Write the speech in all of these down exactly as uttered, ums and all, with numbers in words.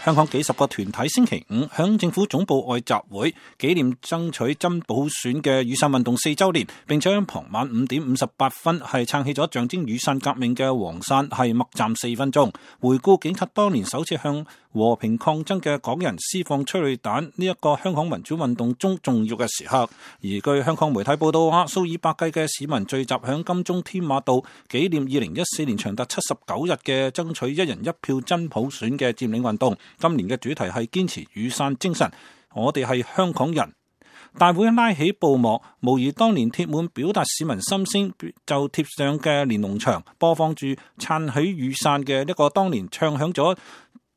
香港幾十個團體星期五響政府總部外集會，紀念爭取真普選嘅雨傘運動四周年，並且喺傍晚五點五十八分係撐起咗象徵雨傘革命嘅黃傘，係默站四分鐘，回顧警察當年首次向和平抗爭嘅港人施放催淚彈呢一個香港民主運動中重要嘅時刻。而據香港媒體報道話，數以百計嘅市民聚集響金鐘添馬道，紀念二零一四年長達七十九日嘅爭取一人一票真普選嘅佔領運動。今年嘅主題係堅持雨傘精神，我哋係香港人。大會拉起布幕，模擬當年貼滿表達市民心聲就貼上嘅連儂牆，播放住撐起雨傘嘅一個當年唱響咗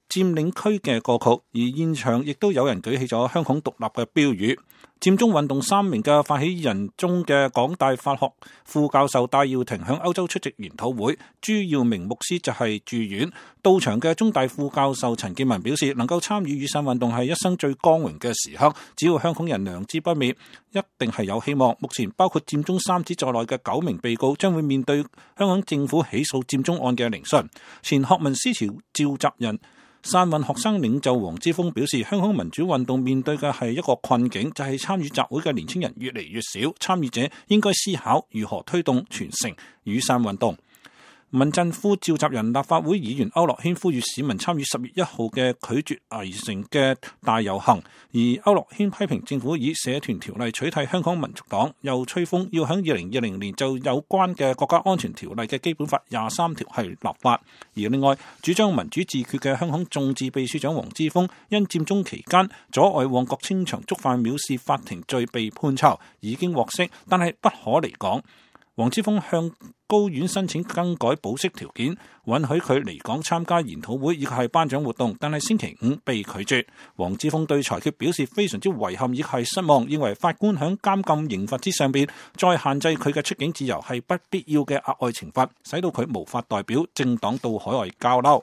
佔領區嘅歌曲，而現場亦都有人舉起咗香港獨立嘅標語。佔中運動三名嘅發起人中嘅港大法學副教授戴耀廷響歐洲出席研討會，朱耀明牧師就係住院。到場嘅中大副教授陳建文表示，能夠參與雨傘運動係一生最光榮嘅時刻，只要香港人良知不滅，一定係有希望。目前包括佔中三子在內嘅九名被告將會面對香港政府起訴佔中案嘅聆訊。前學民思潮召集人傘運學生領袖黃之鋒表示，香港民主運動面對嘅係一個困境，就係參與集會嘅年輕人越嚟越少，參與者應該思考如何推動傳承雨傘運動。民陣副召集人立法會議員區諾軒呼籲市民參與十月一號嘅拒絕圍城嘅大遊行，而區諾軒批評政府以社團條例取締香港民族黨，又吹風要喺二零二零年就有關嘅國家安全條例嘅基本法廿三條係立法。而另外主張民主自決嘅香港眾志秘書長黃之鋒因佔中期間阻礙旺角清場，觸犯藐視法庭罪被判囚，已經獲釋，但係不可離港。黃之鋒向高院申請更改保釋條件，允許佢離港參加研討會以及係頒獎活動，但係星期五被拒絕。黃之鋒對裁決表示非常之遺憾，亦係失望，認為法官響監禁刑罰之上邊再限制佢嘅出境自由係不必要嘅額外懲罰，使到佢無法代表政黨到海外交流。